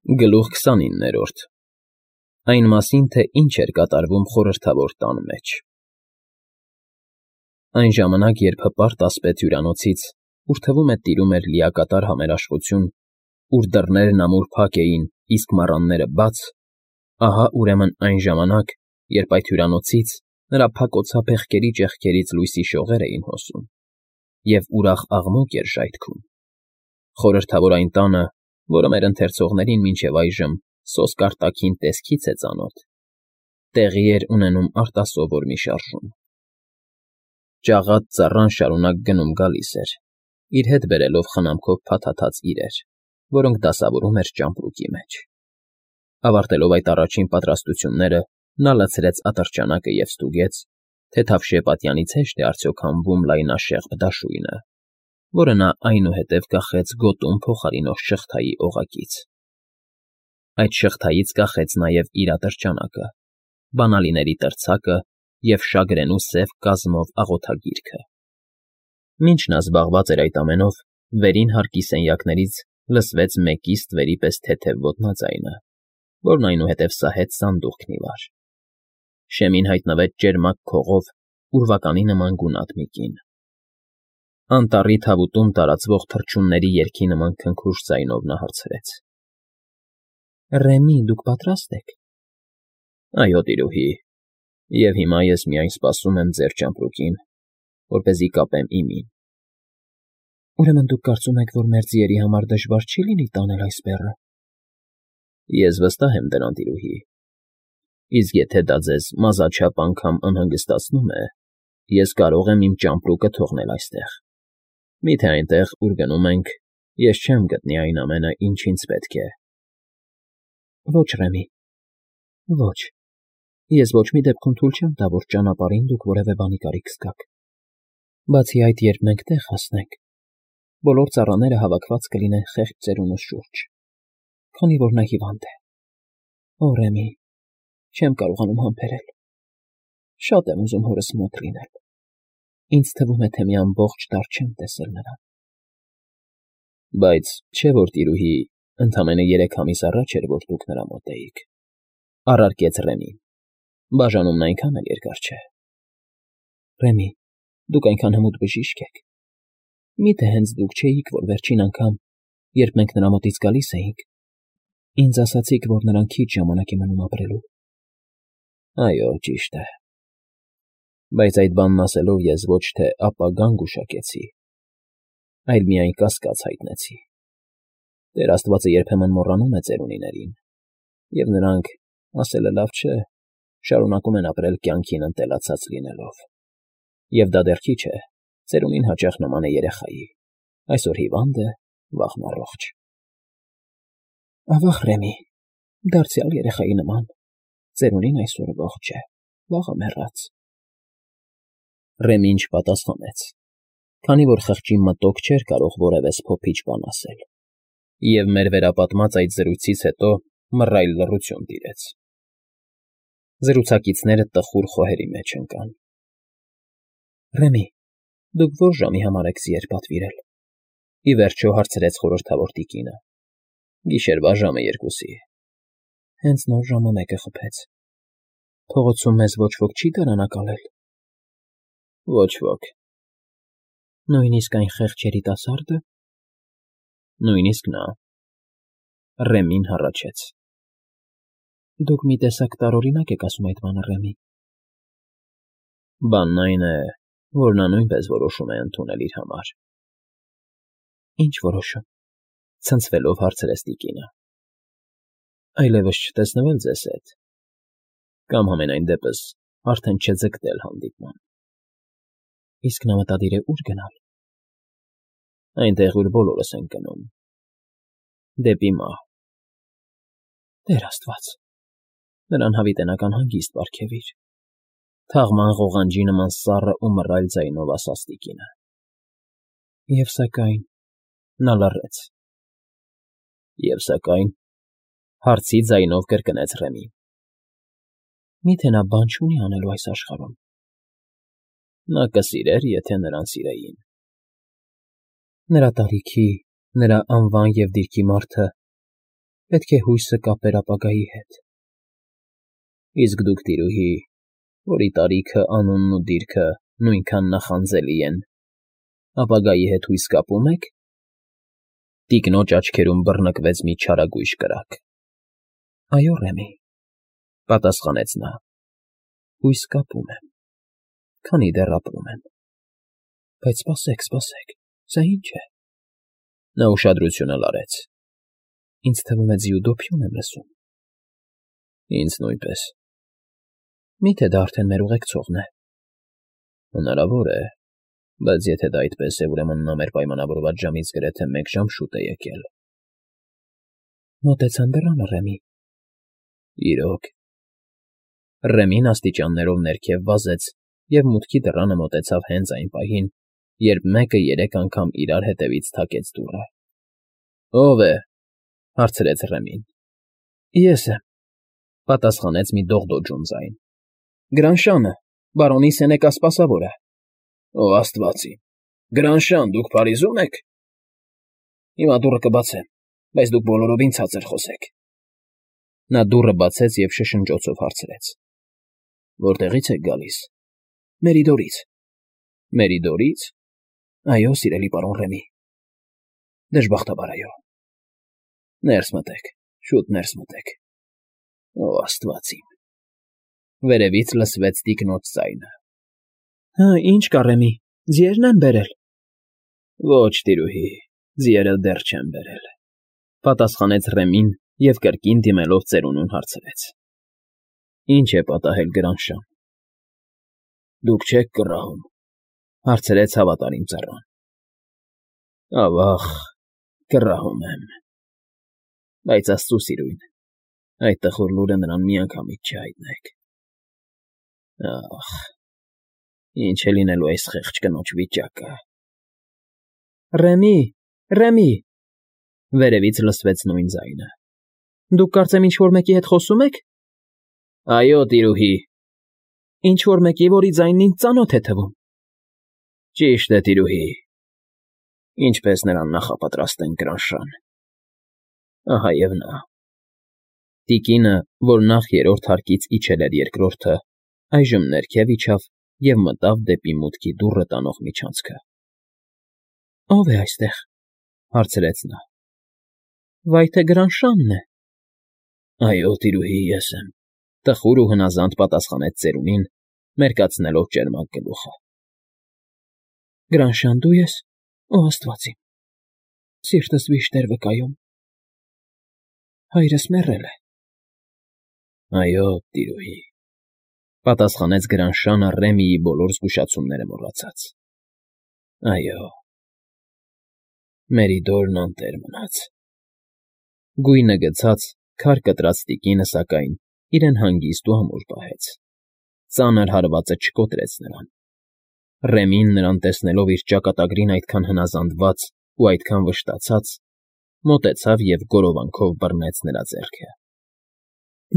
Գլուխ 29 Այն մասին, թե ինչ էր կատարվում խորհրդավոր տան մեջ։ Այն ժամանակ, երբ հպարտ ասպետ հյուրանոցից, ուր թվում է տիրում էր լիակատար համերաշխություն, ուր դռներն ամուր փակ էին, իսկ մառանները բաց, ահա ուրեմն այն ժամանակ, երբ այդ հյուրանոցից նրա փակոցափ փեղկերի ճեղքերից լույսի շողեր էին հոսում, և ուրախ աղմուկ էր ժայթքում, խորհրդավոր այն տանը, որը մեր ընթերցողներին մինչև այժմ սոսկ արտաքին տեսքից է ծանոթ, տեղի էր ունենում արտասովոր մի շարժում։ Ճաղատ ծառան շարունակ գնում֊գալիս էր, իր հետ բերելով խնամքով փաթաթած իրեր, որոնք դասավորում էր ճամպրուկի մեջ։ Ավարտելով այդ առաջին պատրաստությունները, նա լցրեց ատրճանակը և ստուգեց, թե թավշյա պատյանից հեշտ է արդյոք հանվում լայնաշեղբ դաշույնը, որը նա այնուհետև կախեց գոտում փոխարինող շղթայի օղակից։ Այդ շղթայից կախեց նաև իր ատրճանակը, բանալիների տրցակը և շագրենու սև կազմով աղոթագիրքը։ Մինչ նա զբաղված էր այդ ամենով, վերին հարկի սենյակներից լսվեց մեկի ստվերի պես թեթև ոտնաձայնը, որն այնուհետև սահեց սանդուղքն ի վար։ Շեմին հայտնվեց ճերմակ քողով ուրվականի նման գունատ մի կին։ Անտառի թավուտում տարածվող թռչունների երգի նման քնքուշ ձայնով նա հարցրեց. Ռեմի, դուք պատրաստ եք։ Այո, տիրուհի, և հիմա ես միայն սպասում եմ ձեր ճամպրուկին, որպեսզի կապեմ իմին։ Ուրեմն դուք կարծում եք, որ մեր ձիերի համար դժվար չի լինի տանել այս բեռը։ Ես վստահ եմ դրան, տիրուհի, իսկ եթե դա ձեզ մազաչափ անգամ անհանգստացնում է, ես կարող եմ իմ ճամպրուկը թողնել այստեղ։ Միթե այնտեղ, ուր գնում ենք, ես չեմ գտնի այն ամենը, ինչ ինձ պետք է։ Ոչ, Ռեմի, ոչ, ես ոչ մի դեպքում թույլ չեմ տա, որ ճանապարհին դուք որևէ բանի կարիք զգաք։ Բացի այդ, երբ մենք տեղ հասնենք, բոլոր ծառաները հավաքված կլինեն խեղճ ծերունուս շուրջ, քանի որ նա հիվանդ է։ Օ, Ռեմի, չեմ կարողանում համբերել։ Շատ եմ ուզում հորս մոտ լինել։ Ինձ թվում է, թե մի ամբողջ տարի չեմ տեսել նրան։ Բայց չէ՞ որ, տիրուհի, ընդամենը 3 ամիս առաջ էր, որ դուք նրա մոտ էիք, առարկեց Ռեմին։ Բաժանումն այնքան էլ երկար չէ։ Ռեմի, դուք այնքան հմուտ բժիշկ եք։ Միթե հենց դուք չէիք, որ վերջին անգամ, երբ մենք նրա մոտից գալիս էինք, ինձ ասացիք, որ նրան քիչ ժամանակ է մնում ապրելու։ Այո, ճիշտ է։ Բայց այդ բանն ասելով ես ոչ թե ապագան գուշակեցի, այլ միայն կասկած հայտնեցի։ Տեր Աստվածը երբեմն մոռանում է ծերունիներին, և նրանք, ասելը լավ չէ, շարունակում են ապրել կյանքին ընտելացած լինելով։ Եվ դա դեռ քիչ է, ծերունին հաճախ նման է երեխայի, այսօր հիվանդ է, վաղն առողջ։ Ավաղ, Ռեմի, դարձյալ երեխայի նման, ծերունին այսօր ողջ է, վաղը մեռած։ Ռեմին չպատասխանեց, քանի որ խղճի մտոք չէր կարող որևէ սփոփիչ բան ասել, և մեր վերապատմած այդ զրույցից հետո մռայլ լռություն տիրեց։ Զրուցակիցները տխուր խոհերի մեջ ընկան։ Ռեմի, դուք ո՞ր ժամի համար եք ձիեր պատվիրել, ի վերջո հարցրեց խորհրդավոր տիկինը։ Գիշերվա ժամը 2-ի։ Հենց նոր ժամը 1-ը խփեց։ Փողոցում մեզ ոչ ոք չի դարանակալել։ Ոչ ոք։ Նույնիսկ այն խեղճ երիտասարդը։ Նույնիսկ նա։ Ռեմին հառաչեց։ Դուք մի տեսակ տարօրինակ եք ասում այդ բանը, Ռեմի։ Բանն այն է, որ նա նույնպես որոշում է ընդունել իր համար։ Ինչ որոշում, ցնցվելով հարցրեց տիկինը։ Այլևս չտեսնվել ձեզ հետ, կամ համենայն դեպս արդեն չձգտել հանդիպման։ Իսկ նա մտադիր է ուր գնալ։ Այնտեղ, ուր բոլորս ենք գնում։ Դեպի մահ։ Տեր Աստված, նրան հավիտենական հանգիստ պարգևիր, թաղման ղողանջի նման սառը ու մռայլ ձայնով ասաց տիկինը։ Եվ սակայն նա լռեց։ Եվ սակայն հարցի ձայնով կրկնեց Ռեմին։ Միթե նա բան չունի անելու այս աշխարհում։ Նա կսիրեր, եթե նրան սիրեին։ Նրա տարիքի, նրա անվան և դիրքի մարդը Պետք է հույսը կապեր ապագայի հետ։ Իսկ դուք, տիրուհի, որի տարիքը, անունն ու դիրքը նույնքան նախանձելի են, ապագայի հետ հույս կապո՞ւմ եք։ Տիկնոջ աչքերում բռնկվեց մի չարագույժ կրակ։ Այո, Ռեմի, պատասխանեց նա, հույս կապում եմ, քանի դեռ ապրում եմ։ Բայց սպասեք, սա ի՞նչ է։ Նա ուշադրությունը լարեց։ Ինձ թվում է ձիուդոփյուն եմ լսում։ Ինձ նույնպես։ Մի՞թե դա արդեն մեր ուղեկցողն է։ Հնարավոր է, բայց եթե դա այդպես է, ուրեմն նա մեր պայմանավորված ժամից գրեթե 1 ժամ շուտ է եկել։ Մոտեցան դռանը, Ռեմի։ Իրոք։ Ռեմին աստիճաններով ներքև վազեց և մուտքի դռանը մոտեցավ հենց այն պահին, երբ մեկը 3 անգամ իրար հետևից թակեց դուռը։ Ո՞վ է,֊ հարցրեց Ռեմին։ Ես եմ,֊ պատասխանեց մի դողդոջուն ձայն։ Գրանշանը, բարոնի Սենեկա սպասավորը։ Ո Աստված իմ, Գրանշան, դուք Փարիզում եք։ Հիմա դուռը կբացեմ, բայց դուք բոլորովին ցածր խոսեք։ Նա դուռը բացեց և շշնջոցով հարցրեց. Որտեղի՞ց եք գալիս։ Մերիդորից։ Մերիդորից։ Այո, սիրելի պարոն Ռեմի։ Դժբախտաբար, այո։ Ներս մտեք, շուտ ներս մտեք։ Ո Աստված իմ։ Վերևից լսվեց տիկնոջ ձայնը։ Հա, ինչ կա, Ռեմի, ձիերն են բերել։ Ոչ, տիրուհի, ձիերը դեռ չեն բերել, պատասխանեց Ռեմին և կրկին դիմելով ծերունուն հարցրեց. Ինչ է պատահել, Գրանշան։ Դուք չեք կռահում, հարցրեց հավատարիմ ծառան։ Ավաղ, կռահում եմ։ Բայց Աստծու սիրուն, այդ տխուր լուրը նրան միանգամից չհայտնեք։ Ախ, ինչ է լինելու այս խեղճ կնոջ վիճակը։ Ռեմի, Ռեմի, վերևից լսվեց նույն ձայնը։ Դուք կարծեմ ինչ-որ մեկի հետ խոսում եք։ Այո, տիրուհի։ Ինչ-որ մեկի, որի ձայնն ինձ ծանոթ է թվում։ Ճիշտ է, տիրուհի։ Ինչպես նրան նախապատրաստենք, Գրանշան։ Ահա և նա։ Տիկինը, որ նախ 3-րդ հարկից իջել էր երկրորդը, այժմ ներքև իջավ և մտավ դեպի մուտքի դուռը տանող միջանցքը։ Ո՞վ է այստեղ, հարցրեց նա։ Վայ թե Գրանշանն է։ Այո, տիրուհի, ես եմ, տխուր ու հնազանդ պատասխանեց ծերունին, մերկացնելով ճերմակ գլուխը։ Գրանշան, դու ես, ո Աստված իմ, սիրտս վիշտ էր վկայում։ Հայրս մեռել է։ Այո, տիրուհի, պատասխանեց Գրանշանը Ռեմիի բոլոր զգուշացումները մոռացած։ Այո։ Մերիդորն անտեր մնաց։ Գույնը գցած, քար կտրած տիկինը, սակայն, իրեն հանգիստ ու ամուր պահեց։ Ծանր հարվածը չկոտրեց նրան։ Ռեմին նրան տեսնելով իր ճակատագրին այդքան հնազանդված ու այդքան վշտացած, մոտեցավ և գորովանքով բռնեց նրա ձեռքը։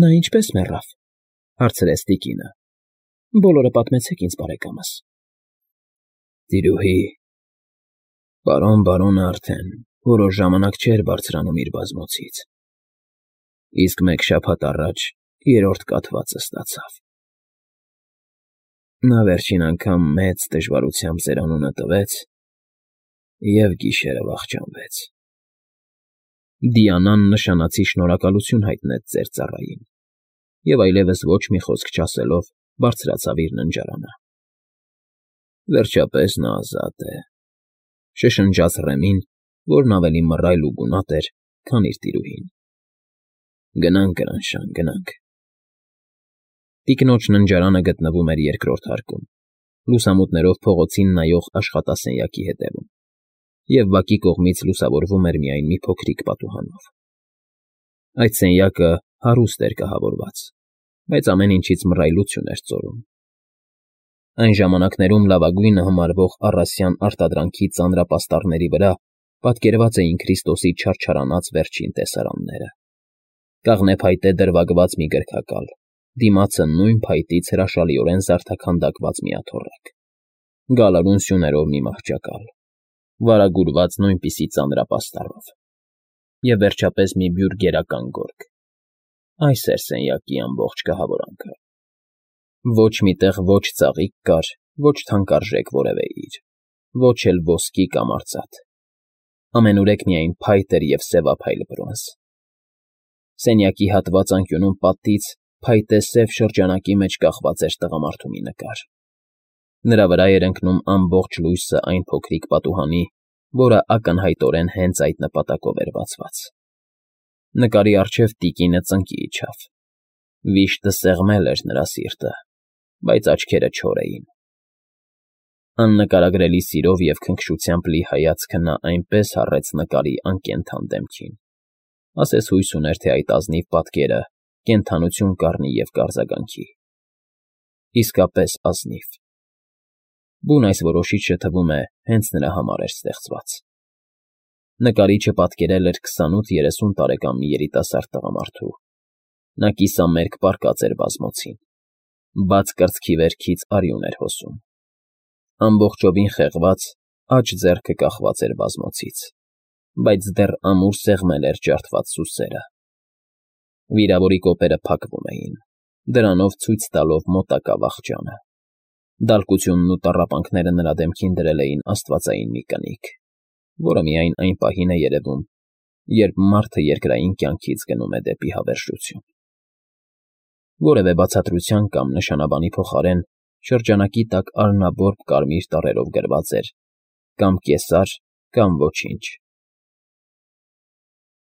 Նա ինչպե՞ս մեռավ, հարցրեց տիկինը։ Բոլորը պատմեցեք ինձ, բարեկամս։ Տիրուհի, պարոնը արդեն որոշ ժամանակ չէր բարձրանում իր բազմոցից, իսկ 1 շաբաթ առաջ 3-րդ կաթվածը ստացավ։ Նա վերջին անգամ մեծ դժվարությամբ ձեր անունը տվեց և գիշերը վախճանվեց։ Դիանան նշանացի շնորհակալություն հայտնեց ծեր ծառային և այլևս ոչ մի խոսք չասելով բարձրացավ իր ննջարանը։ Վերջապես նա ազատ է,֊ շշնջաց Ռեմին, որն ավելի մռայլ ու գունատ էր, քան իր տիրուհին։ Գնանք, Գրանշան, գնանք։ Տիկնոջ ննջարանը գտնվում էր 2-րդ հարկում, լուսամուտներով փողոցին նայող աշխատասենյակի հետևում, և բակի կողմից լուսավորվում էր միայն մի փոքրիկ պատուհանով։ Այդ սենյակը հարուստ էր կահավորված, բայց ամեն ինչից մռայլություն էր ծորում։ Այն ժամանակներում լավագույնը համարվող առասյան արտադրանքի ծանրապաստառների վրա պատկերված էին Քրիստոսի չարչարանած վերջին տեսարանները։ Կաղնե փայտե դրվագված մի գրքակալ, դիմացը նույն փայտից հրաշալիորեն զարդաքանդակված մի աթոռակ, գալարուն սյուներով մի մահճակալ, վարագուրված նույնպիսի ծանրապաստառով։ և վերջապես մի բյուր գերական գորգ։ Այս էր սենյակի ամբողջ կահավորանքը։ Ոչ մի տեղ ոչ ծաղիկ կար, ոչ թանկարժեք որևէ իր, ոչ էլ ոսկի կամ արծաթ։ Ամենուրեք միայն փայտ էր և սևափայլ բրոնզ։ Սենյակի հատված անկյունում պատից փայտե սև շրջանակի մեջ կախված էր տղամարդու մի նկար։ Նրա վրա էր ընկնում ամբողջ լույսը այն փոքրիկ պատուհանի, որը ակնհայտորեն հենց այդ նպատակով էր բացված։ Նկարի առջև տիկինը ծնկի իջավ։ Վիշտը սեղմել էր նրա սիրտը, բայց աչքերը չոր էին։ Աննկարագրելի սիրով և քնքշությամբ լի հայացքը նա այնպես հառեց նկարի անկենդան դեմքին, ասես հույս ուներ, թե այդ ազնիվ պատկերը կենդանություն կառնի և կարձագանքի։ Իսկապես ազնիվ։ Բուն այս որոշիչը, թվում է, հենց նրա համար էր ստեղծված։ Նկարիչը պատկերել էր 28-30 տարեկան մի երիտասարդ տղամարդու։ Նա կիսամերկ պառկած էր բազմոցին։ Բաց կրծքի վերքից արյուն էր հոսում։ Ամբողջովին խեղված, աջ ձեռքը կախված էր բազմոցից, բայց դեռ ամուր սեղմել էր ջարդված սուսերը։ Վիրավորի կոպերը փակվում էին, դրանով ցույց տալով մոտակա վախճանը։ Դալկությունն ու տառապանքները նրա դեմքին դրել էին աստվածային մի կնիկ, որը միայն այն պահին է երևում, երբ մարդը երկրային կյանքից գնում է դեպի հավերժություն։ Որևէ բացատրության կամ նշանաբանի փոխարեն շրջանակի տակ արնաբորբ կարմիր տառերով գրված էր. կամ կեսար, կամ ոչինչ։